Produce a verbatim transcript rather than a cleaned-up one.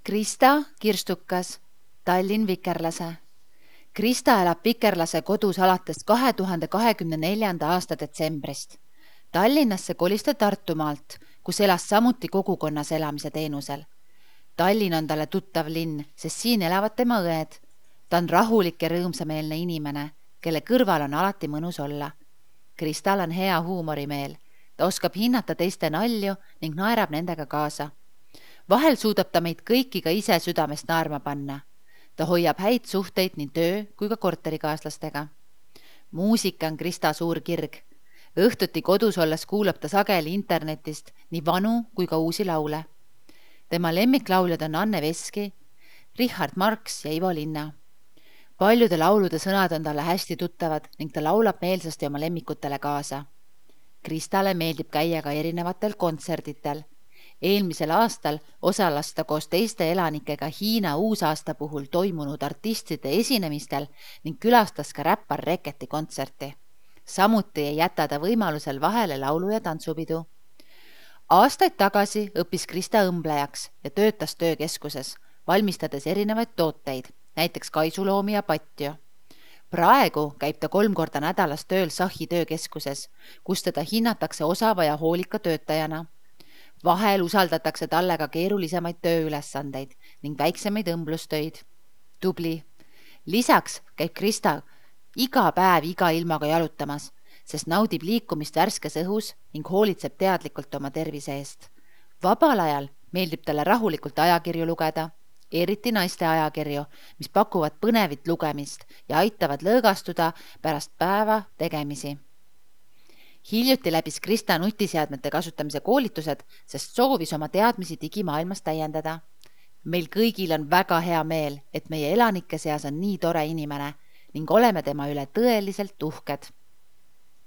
Krista Kirstukas, Tallinn Vikerlase. Krista elab Vikerlase kodus alates kahe tuhande kahekümne neljanda aasta detsembrist. Tallinnasse kolis ta Tartumaalt, kus elas samuti kogukonnas elamise teenusel. Tallinn on talle tuttav linn, sest siin elavad tema õed. Ta on rahulik ja rõõmsameelne inimene, kelle kõrval on alati mõnus olla. Kristal on hea huumorimeel. Ta oskab hinnata teiste nalju ning naerab nendega kaasa. Vahel suudab ta meid kõiki ka ise südamest naerma panna. Ta hoiab häid suhteid nii töö kui ka korterikaaslastega. Muusika on Krista suur kirg. Õhtuti kodus olles kuulab ta sageli internetist nii vanu kui ka uusi laule. Tema lemmiklauljad on Anne Veski, Richard Marx ja Ivo Linna. Paljude laulude sõnad on talle hästi tuttavad ning ta laulab meelsasti oma lemmikutele kaasa. Kristale meeldib käia ka erinevatel kontserditel. Eelmisel aastal osales ta koos teiste elanikega Hiina uusaasta puhul toimunud artistide esinemistel ning külastas ka räppar Reketi kontserti. Samuti ei jäta ta võimalusel vahele laulu- ja tantsupidu. Aastaid tagasi õppis Krista õmblejaks ja töötas töökeskuses, valmistades erinevaid tooteid, näiteks kaisuloomi ja patju. Praegu käib ta kolm korda nädalas tööl Sahi töökeskuses, kus teda hinnatakse osava ja hoolika töötajana. Vahel usaldatakse talle ka keerulisemaid tööülesandeid ning väiksemaid õmblustöid. Tubli. Lisaks käib Krista iga päev iga ilmaga jalutamas, sest naudib liikumist värskes õhus ning hoolitseb teadlikult oma tervise eest. Vabal ajal meeldib talle rahulikult ajakirju lugeda, eriti naiste ajakirju, mis pakuvad põnevit lugemist ja aitavad lõõgastuda pärast päeva tegemisi. Hiljuti läbis Krista nutiseadmete kasutamise koolitused, sest soovis oma teadmisi digimaailmas täiendada. Meil kõigil on väga hea meel, et meie elanike seas on nii tore inimene ning oleme tema üle tõeliselt uhked.